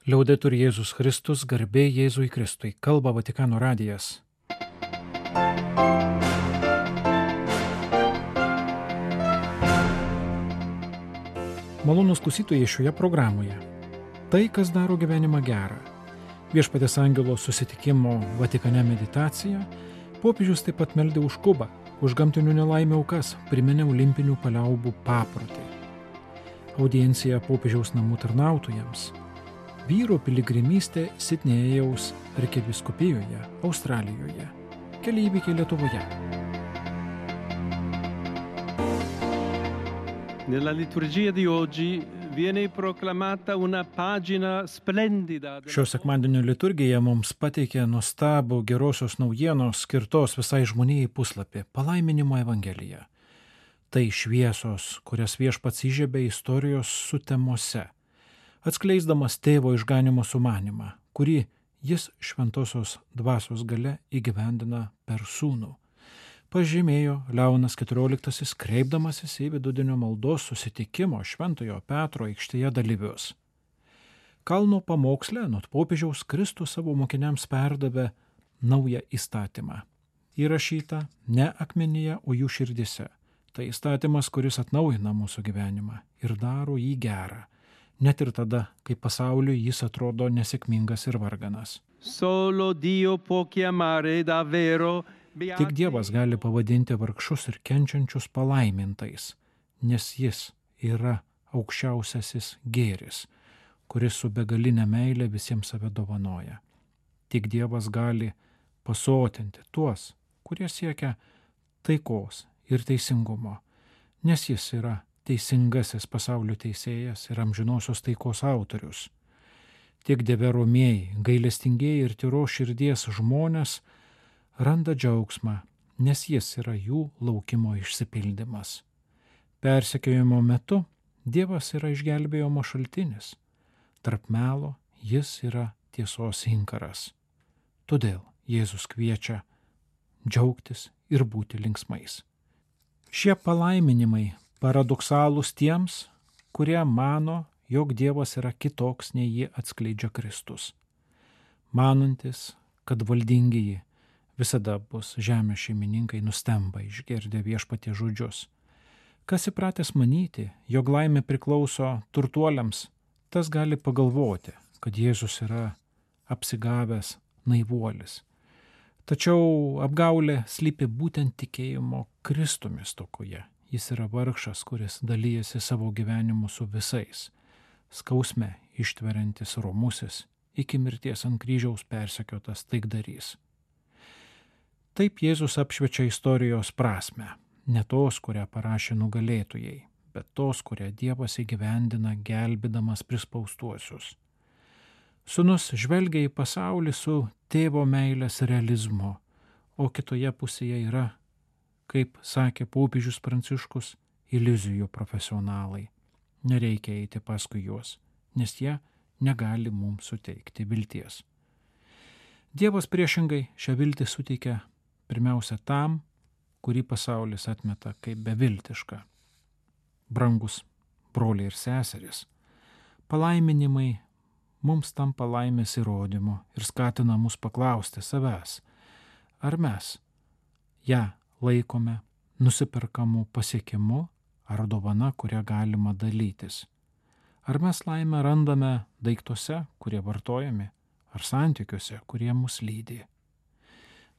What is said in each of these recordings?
Liaudetur Jėzus Kristus, garbė Jėzui Kristui, kalba Vatikano radijas. Malonūs klausytojai šioje programoje. Tai, kas daro gyvenimą gerą. Viešpaties angelo susitikimo Vatikane meditacija, popiežius taip pat meldė už Kubą, už gamtinių nelaimių aukas, priminė olimpinių paliaubų paprotį. Audiencija popiežiaus namų tarnautojams. Vyro piligrimystė Sidnėjaus arkivyskupijoje, Australijoje. Keli įvykiai Lietuvoje. Nella liturgia di oggi viene proclamata una pagina splendida. Šio sekmadienio liturgija mums pateikė nuostabų gerosios naujienos skirtos visai žmonijai puslapį – palaiminimo evangelija. Tai šviesos, kurias Viešpats įžiebė istorijos sutemose, atskleisdamas tėvo išganimo sumanimą, kurį jis šventosios dvasios galia įgyvendina per sūnų. Pažymėjo Leonas XIV, kreipdamasis į vidudienio maldos susitikimo Šventojo Petro aikštėje dalyvius. Kalno pamoksle nuo popiežiaus Kristus savo mokiniams perdavė naują įstatymą. Įrašytą ne akmenyje, o jų širdise. Tai įstatymas, kuris atnaujina mūsų gyvenimą ir daro jį gerą. Net ir tada, kai pasauliui jis atrodo nesėkmingas ir varganas. Solo Dio può chiamare davvero. Tik Dievas gali pavadinti vargšus ir kenčiančius palaimintais, nes jis yra aukščiausiasis gėris, kuris su begalinė meilė visiems save dovanoja. Tik Dievas gali pasotinti tuos, kurie siekia taikos ir teisingumo, nes jis yra teisingasis pasaulio teisėjas ir amžinosios taikos autorius. Tik Dieve romieji, gailestingieji ir tyros širdies žmonės randa džiaugsmą, nes jis yra jų laukimo išsipildymas. Persekiojimo metu Dievas yra išgelbėjimo šaltinis. Tarp melo jis yra tiesos inkaras. Todėl Jėzus kviečia džiaugtis ir būti linksmais. Šie palaiminimai paradoksalūs tiems, kurie mano, jog Dievas yra kitoks, nei jį atskleidžia Kristus. Manantis, kad valdingieji visada bus žemės šeimininkai, nustemba išgirdę Viešpaties žodžius. Kas įpratęs manyti, jog laimė priklauso turtuoliams, tas gali pagalvoti, kad Jėzus yra apsigavęs naivuolis. Tačiau apgaulė slypi būtent tikėjimo Kristumi stokoje. Jis yra vargšas, kuris dalyjasi savo gyvenimu su visais, skausme ištveriantis romusis, iki mirties ant kryžiaus persekiotas taikdarys. Taip Jėzus apšviečia istorijos prasmę, ne tos, kurią parašė nugalėtojai, bet tos, kurią Dievas įgyvendina gelbėdamas prispaustuosius. Sūnus žvelgia į pasaulį su tėvo meilės realizmu, o kitoje pusėje yra, kaip sakė popiežius Pranciškus, iliuzijų profesionalai. Nereikia eiti paskui juos, nes jie negali mums suteikti vilties. Dievas priešingai šią viltį suteikia pirmiausia tam, kurį pasaulis atmeta kaip beviltišką. Brangus broliai ir seserys, palaiminimai mums tampa laimės įrodymu ir skatina mus paklausti savęs, ar mes ją laikome nusiperkamų pasiekimu ar dovana, kurią galima dalytis. Ar mes laimę randame daiktuose, kurie vartojami, ar santykiuose, kurie mus lydi.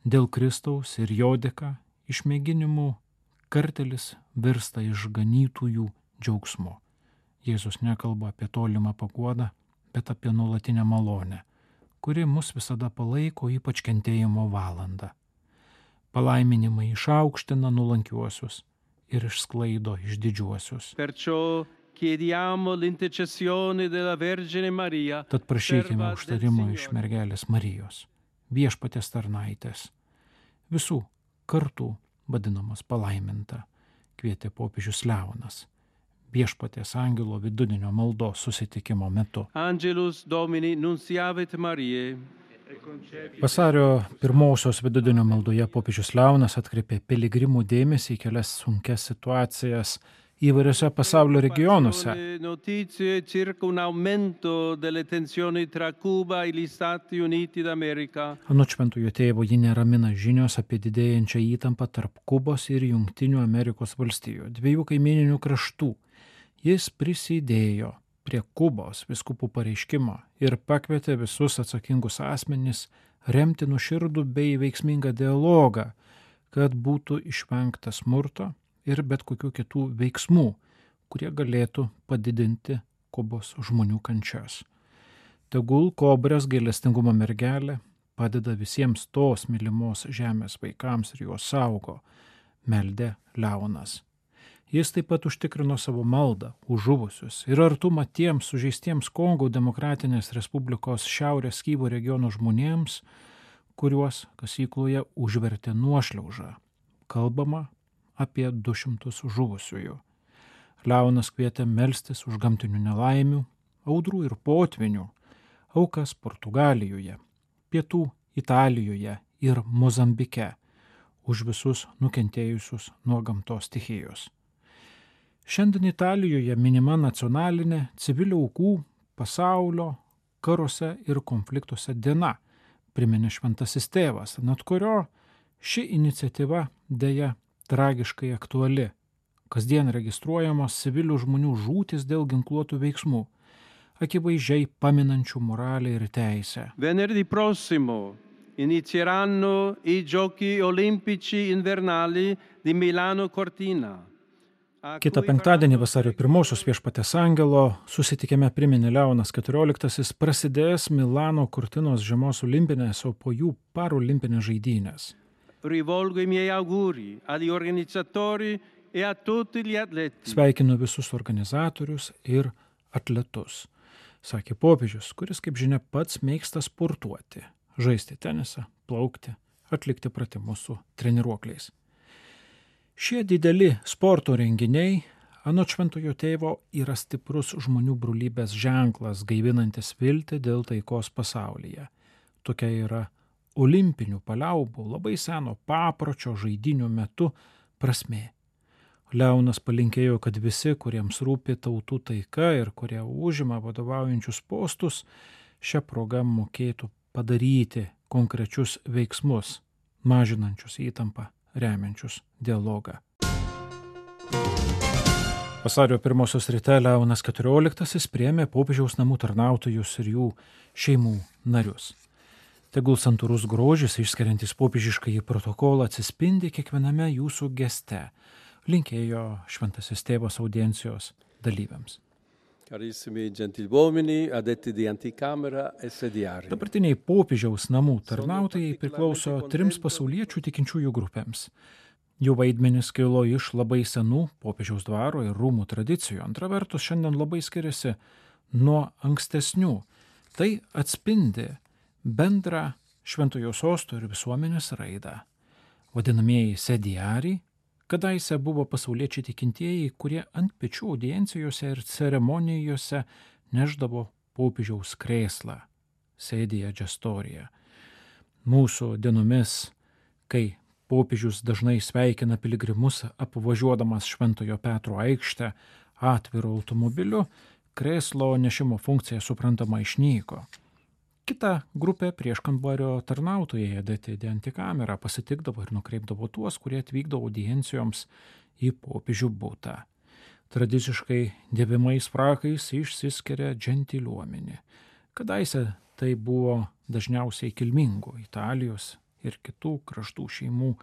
Dėl Kristaus ir jo dėka išmėginimų kartelis virsta išganytųjų džiaugsmu. Jėzus nekalba apie tolimą paguodą, bet apie nuolatinę malonę, kuri mus visada palaiko ypač kentėjimo valandą. Palaiminimai išaukština nuolankiuosius ir išsklaido išdidžiuosius. Perciò chiediamo l'intercessione della Vergine Maria. Tad prašykime užtarimo iš mergelės Marijos, Viešpaties tarnaitės, visų kartų vadinamas palaiminta, kvietė popiežius Leonas, Viešpaties angelo vidudienio maldos susitikimo metu. Angelus Domini nunciavit Mariae. Vasario 1 vidudienio maldoje popiežius Leonas atkreipė piligrimų dėmesį į kelias sunkias situacijas įvairiose pasaulio regionuose. Notizie circa un aumento delle tensioni tra Cuba e gli Stati Uniti d'America. Anot Šventojo tėvo jį neramina žinios apie didėjančią įtampą tarp Kubos ir Jungtinių Amerikos valstijų, dviejų kaimininių kraštų. Jis prisidėjo prie Kubos vyskupų pareiškimo ir pakvietė visus atsakingus asmenys remti nuoširdų bei veiksmingą dialogą, kad būtų išvengta smurto ir bet kokių kitų veiksmų, kurie galėtų padidinti Kubos žmonių kančias. Tegul Kobras gailestingumo mergelė padeda visiems tos mylimos žemės vaikams ir juos saugo, meldė Leonas. Jis taip pat užtikrino savo maldą už žuvusius ir artumą tiems sužeistiems Kongo Demokratinės Respublikos Šiaurės Kivu regiono žmonėms, kuriuos kasykloje užvertė nuošliauža. Kalbama apie 200 žuvusiųjų. Leonas kvietė melstis už gamtinių nelaimių, audrų ir potvinių, aukas Portugalijoje, Pietų Italijoje ir Mozambike, už visus nukentėjusius nuo gamtos stichijos. Šiandien Italijoje minima nacionalinė civilių aukų pasaulio karuose ir konfliktuose diena, priminė Šventasis tėvas, ant kurio ši iniciatyva deja tragiškai aktuali. Kasdien registruojamos civilių žmonių žūtis dėl ginkluotų veiksmų, akivaizdžiai paminančių moralę ir teisę. Venerdì prossimo inizieranno i Giochi Olimpici Invernali di Milano Cortina. Kitą penktadienį vasario 1 Viešpaties angelo susitikime priminė Leonas XIV prasidės Milano Cortinos žiemos olimpinės, o po jų parolimpinės žaidynės. Rivolgo i miei auguri agli organizzatori e a tutti gli atleti. Sveikinu visus organizatorius ir atletus, sakė popiežius, kuris, kaip žinia, pats mėgsta sportuoti, žaisti tenisą, plaukti, atlikti pratimus su treniruokliais. Šie dideli sporto renginiai, anot Šventojo tėvo, yra stiprus žmonių brolybės ženklas, gaivinantis viltį dėl taikos pasaulyje. Tokia yra olimpinių paliaubų, labai seno papročio žaidynių metu prasmė. Leonas palinkėjo, kad visi, kuriems rūpi tautų taika ir kurie užima vadovaujančius postus, šią progą mokėtų padaryti konkrečius veiksmus, mažinančius įtampą, remiančius dialogą. Vasario 1 ryte Leonas XIV priėmė popiežiaus namų tarnautojus ir jų šeimų narius. Tegul santūrus grožis, išskiriantis popiežiškąjį protokolą, atsispindi kiekviename jūsų geste, linkėjo Šventasis tėvas audiencijos dalyviams. Carissimi gentiluomini, addetti di anticamera e sediari. Dabartiniai popiežiaus namų tarnautojai priklauso 3 pasauliečių tikinčiųjų grupėms. Jų vaidmenis kilo iš labai senų popiežiaus dvaro ir rūmų tradicijų. Antra vertus, šiandien labai skiriasi nuo ankstesnių. Tai atspindi bendrą Šventojo sosto ir visuomenės raidą. Vadinamieji sediariai kadaise buvo pasauliečiai tikintieji, kurie ant pečių audiencijose ir ceremonijose neždavo popiežiaus krėslą, sėdėja gestorija. Mūsų dienomis, kai popiežius dažnai sveikina piligrimus apvažiuodamas Šventojo Petro aikštę atviru automobiliu, krėslo nešimo funkcija suprantama išnyko. Kita grupė prieškambario tarnautojai adėti di antikamerą pasitikdavo ir nukreipdavo tuos, kurie atvykdavo audiencijoms į popiežių butą. Tradiciškai dėvimais frakais išsiskiria džentiliuomenė. Kadaise tai buvo dažniausiai kilmingų Italijos ir kitų kraštų šeimų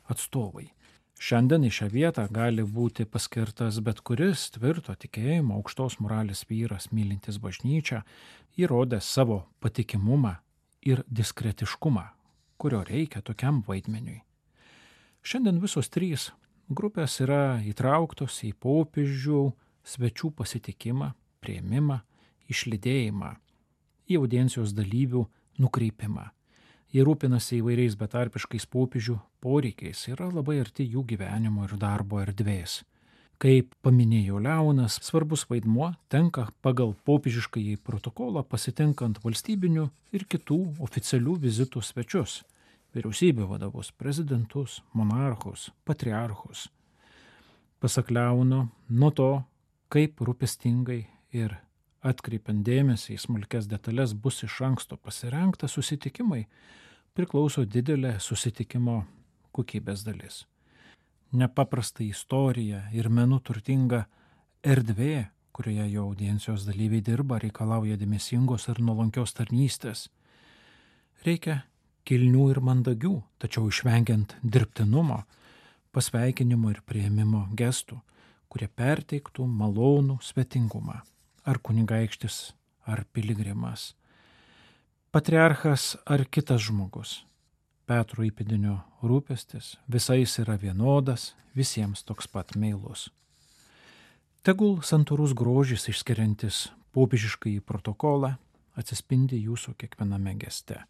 atstovai. Šiandien į šią vietą gali būti paskirtas bet kuris tvirto tikėjimo, aukštos moralės vyras, mylintis bažnyčią, įrodęs savo patikimumą ir diskretiškumą, kurio reikia tokiam vaidmeniui. Šiandien visos 3 grupės yra įtrauktos į popiežių svečių pasitikimą, priėmimą, išlydėjimą, į audiencijos dalyvių nukreipimą. Jie rūpinasi įvairiais betarpiškais popiežių poreikiais, yra labai arti jų gyvenimo ir darbo erdvės. Kaip paminėjo Leonas, svarbus vaidmuo tenka pagal popiežiškąjį protokolą pasitinkant valstybinių ir kitų oficialių vizitų svečius, vyriausybių vadovus, prezidentus, monarchus, patriarchus. Pasak Leono, nuo to, kaip rūpestingai ir atkreipiant dėmesį į smulkes detalės bus iš anksto pasirengta susitikimai, priklauso didelė susitikimo kokybės dalis. Nepaprasta istorija ir menu turtinga erdvė, kurioje jo audiencijos dalyviai dirba, reikalauja dėmesingos ir nuolankios tarnystės. Reikia kilnių ir mandagių, tačiau išvengiant dirbtinumo, pasveikinimo ir priėmimo gestų, kurie perteiktų malonų svetingumą, ar kunigaikštis, ar piligrimas, patriarchas ar kitas žmogus. Petro įpėdinio rūpestis visais yra vienodas, visiems toks pat meilus. Tegul santūrus grožis išskiriantis popiežiškąjį protokolą atsispindi jūsų kiekviename geste.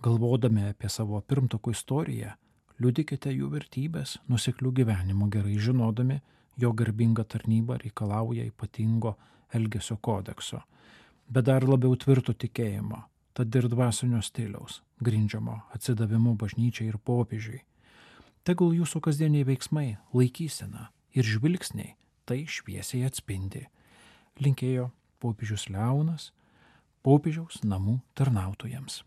Galvodami apie savo pirmtakų istoriją, liudykite jų vertybės, nuoseklių gyvenimo, gerai žinodami, jo garbinga tarnyba reikalauja ypatingo elgesio kodekso, bet dar labiau tvirto tikėjimo, tad ir dvasinio stiliaus, grindžiamo atsidavimu bažnyčiai ir popiežiui. Tegul jūsų kasdieniai veiksmai, laikysena ir žvilgsniai tai šviesiai atspindi. Linkėjo popiežius Leonas popiežiaus namų tarnautojams.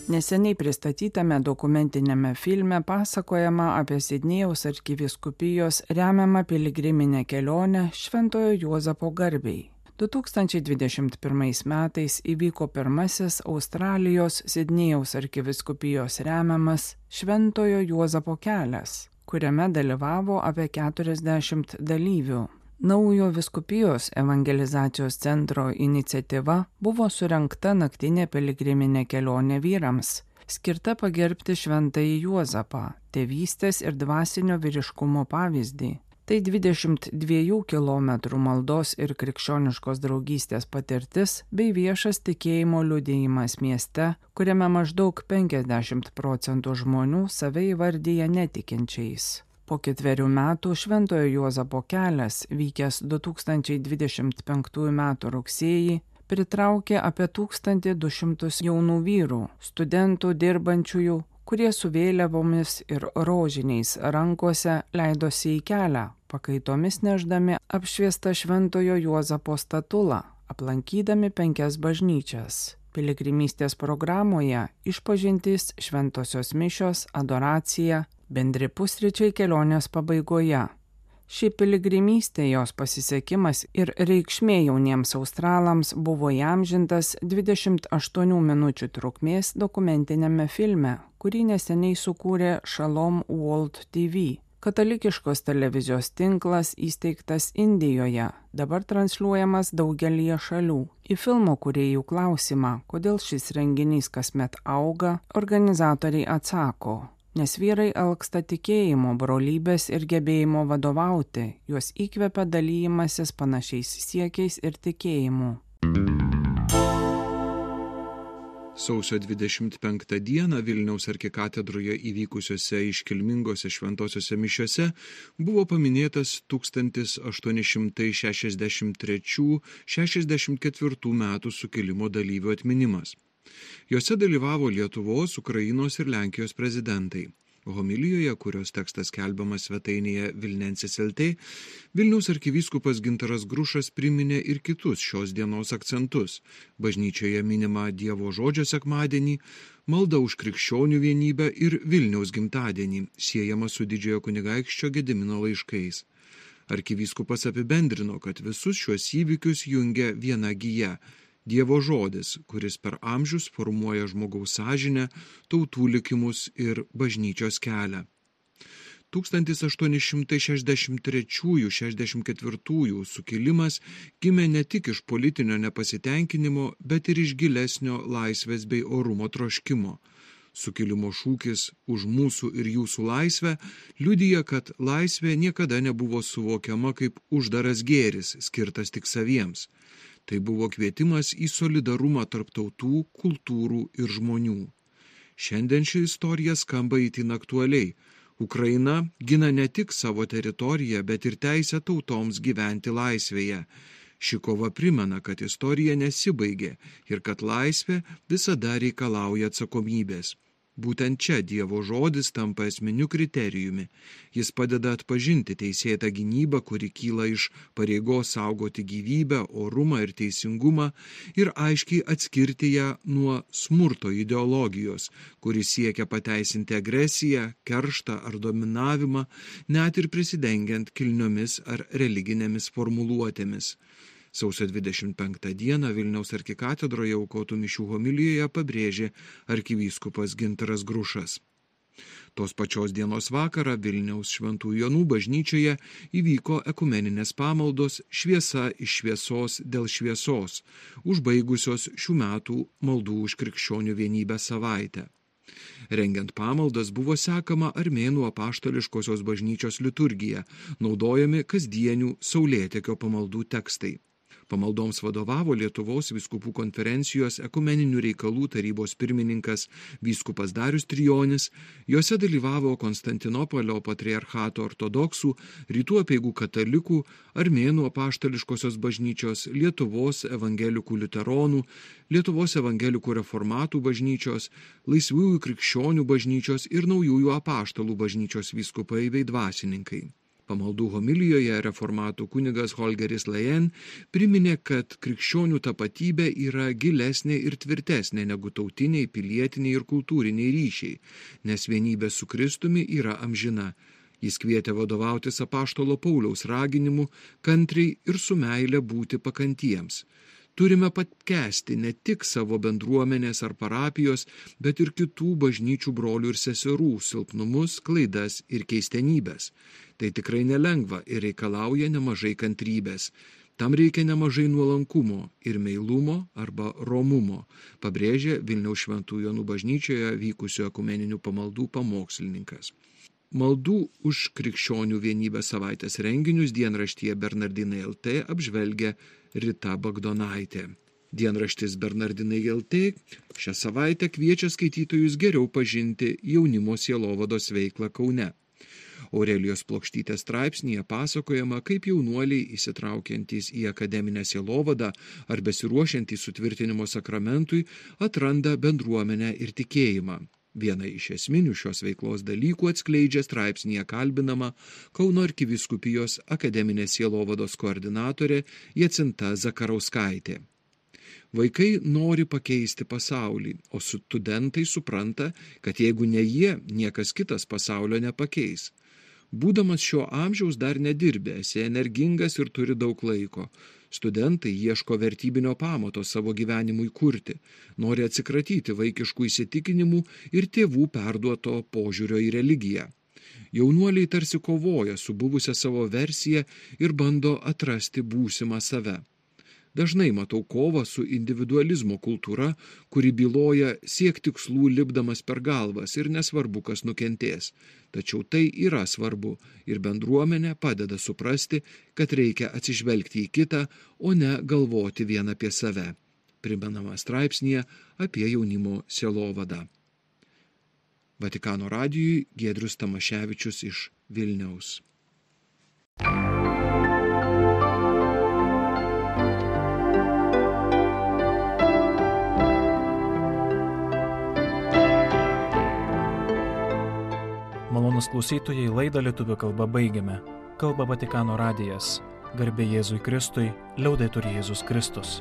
Neseniai pristatytame dokumentinėme filme pasakojama apie Sidnėjaus arkivyskupijos remiamą piligriminę kelionę Šventojo Juozapo garbei. 2021 metais įvyko pirmasis Australijos Sidnėjaus arkivyskupijos remiamas Šventojo Juozapo kelias, kuriame dalyvavo apie 40 dalyvių. Naujo vyskupijos evangelizacijos centro iniciatyva buvo surengta naktinė piligriminė kelionė vyrams, skirta pagerbti Šventąjį Juozapą, tėvystės ir dvasinio vyriškumo pavyzdį. Tai 22 km maldos ir krikščioniškos draugystės patirtis bei viešas tikėjimo liudijimas mieste, kuriame maždaug 50% žmonių save įvardyja netikinčiais. Po 4 metų Šventojo Juozapo kelias, vykęs 2025 m. rugsėjį, pritraukė apie 1200 jaunų vyrų, studentų dirbančiųjų, kurie su vėliavomis ir rožiniais rankose leidosi į kelią, pakaitomis neždami apšviestą Šventojo Juozapo statulą, aplankydami 5 bažnyčias. Piligrimystės programoje išpažintys, šventosios mišios, adoracija, bendri pusryčiai kelionės pabaigoje. Ši piligrimystė, jos pasisekimas ir reikšmė jauniems australams buvo įamžintas 28 minučių trukmės dokumentinėme filme, kurį neseniai sukūrė Shalom World TV. Katalikiškos televizijos tinklas įsteigtas Indijoje, dabar transliuojamas daugelyje šalių. Į filmo kūrėjų klausimą, kodėl šis renginys kasmet auga, organizatoriai atsako: nes vyrai alksta tikėjimo, brolybės ir gebėjimo vadovauti, juos įkvepia dalymasis panašiais siekiais ir tikėjimu. Sausio 25 dieną Vilniaus arkikatedroje įvykusiose iškilmingose šventosiose mišiose buvo paminėtas 1863–64 metų sukilimo dalyvių atminimas. Jose dalyvavo Lietuvos, Ukrainos ir Lenkijos prezidentai. Homilijoje, kurios tekstas skelbiamas svetainėje Vilnensis LT, Vilniaus arkivyskupas Gintaras Grušas priminė ir kitus šios dienos akcentus. Bažnyčioje minima Dievo žodžio sekmadienį, malda už krikščionių vienybę ir Vilniaus gimtadienį, siejama su didžiojo kunigaikščio Gedimino laiškais. Arkivyskupas apibendrino, kad visus šiuos įvykius jungia viena gija – Dievo žodis, kuris per amžius formuoja žmogaus sąžinę, tautų likimus ir bažnyčios kelią. 1863–64 sukilimas gimė ne tik iš politinio nepasitenkinimo, bet ir iš gilesnio laisvės bei orumo troškimo. Sukilimo šūkis už mūsų ir jūsų laisvę liudija, kad laisvė niekada nebuvo suvokiama kaip uždaras gėris, skirtas tik saviems. Tai buvo kvietimas į solidarumą tarp tautų, kultūrų ir žmonių. Šiandien ši istorija skamba itin aktualiai. Ukraina gina ne tik savo teritoriją, bet ir teisę tautoms gyventi laisvėje. Ši kova primena, kad istorija nesibaigė ir kad laisvė visada reikalauja atsakomybės. Būtent čia Dievo žodis tampa esminiu kriterijumi. Jis padeda atpažinti teisėtą gynybą, kuri kyla iš pareigos saugoti gyvybę, orumą ir teisingumą ir aiškiai atskirti ją nuo smurto ideologijos, kuri siekia pateisinti agresiją, kerštą ar dominavimą, net ir prisidengiant kilniomis ar religinėmis formuluotėmis. Sausio 25 dieną Vilniaus arkikatedroje aukotų mišių homilijoje pabrėžė arkivyskupas Gintaras Grušas. Tos pačios dienos vakarą Vilniaus Šventų Jonų bažnyčioje įvyko ekumeninės pamaldos Šviesa iš šviesos dėl šviesos, užbaigusios šių metų maldų už krikščionių vienybę savaitę. Rengiant pamaldas buvo sekama Armėnų apaštališkosios bažnyčios liturgija, naudojami kasdienių saulėtekio pamaldų tekstai. Pamaldoms vadovavo Lietuvos vyskupų konferencijos ekumeninių reikalų tarybos pirmininkas vyskupas Darius Trijonis, juose dalyvavo Konstantinopolio patriarchato ortodoksų, rytų apeigų katalikų, Armėnų apaštališkosios bažnyčios, Lietuvos evangelikų liuteronų, Lietuvos evangelikų reformatų bažnyčios, laisvųjų krikščionių bažnyčios ir naujųjų apaštalų bažnyčios vyskupai bei dvasininkai. Pamaldų homilijoje reformatų kunigas Holgeris Leyen priminė, kad krikščionių tapatybė yra gilesnė ir tvirtesnė negu tautiniai, pilietiniai ir kultūriniai ryšiai, nes vienybė su Kristumi yra amžina. Jis kvietė vadovautis apaštalo Pauliaus raginimu kantriai ir su meile būti pakantiems. Turime pakęsti ne tik savo bendruomenės ar parapijos, bet ir kitų bažnyčių brolių ir seserų silpnumus, klaidas ir keistenybės. Tai tikrai nelengva ir reikalauja nemažai kantrybės. Tam reikia nemažai nuolankumo ir meilumo arba romumo, pabrėžė Vilniaus Šventų Jonų bažnyčioje vykusių ekumeninių pamaldų pamokslininkas. Maldų už krikščionių vienybę savaitės renginius dienraštyje Bernardinai LT apžvelgia Rita Bagdonaitė. Dienraštis Bernardinai LT šią savaitę kviečia skaitytojus geriau pažinti jaunimo sielovados veiklą Kaune. Aurelijos Plokštytės straipsnyje pasakojama, kaip jaunuoliai įsitraukiantys į akademinę sielovadą ar besiruošiantys sutvirtinimo sakramentui atranda bendruomenę ir tikėjimą. Vieną iš esminių šios veiklos dalykų atskleidžia straipsnyje kalbinama Kauno arkivyskupijos akademinės sielovados koordinatorė Jacinta Zakarauskaitė. Vaikai nori pakeisti pasaulį, o studentai supranta, kad jeigu ne jie, niekas kitas pasaulio nepakeis. Būdamas šio amžiaus dar nedirbę, esi energingas ir turi daug laiko. Studentai ieško vertybinio pamato savo gyvenimui kurti, nori atsikratyti vaikiškų įsitikinimų ir tėvų perduoto požiūrio į religiją. Jaunuoliai tarsi kovoja su buvusia savo versija ir bando atrasti būsimą save. Dažnai matau kovą su individualizmo kultūra, kuri byloja siek tikslų lipdamas per galvas ir nesvarbu, kas nukentės. Tačiau tai yra svarbu ir bendruomenė padeda suprasti, kad reikia atsižvelgti į kitą, o ne galvoti vien apie save. Primenama straipsnyje apie jaunimo sielovadą. Vatikano radijui Giedrius Tamaševičius iš Vilniaus. Malonūs klausytojai, laidą lietuvių kalba baigiame. Kalba Vatikano radijas. Garbė Jėzui Kristui, liaudetur Jėzus Kristus.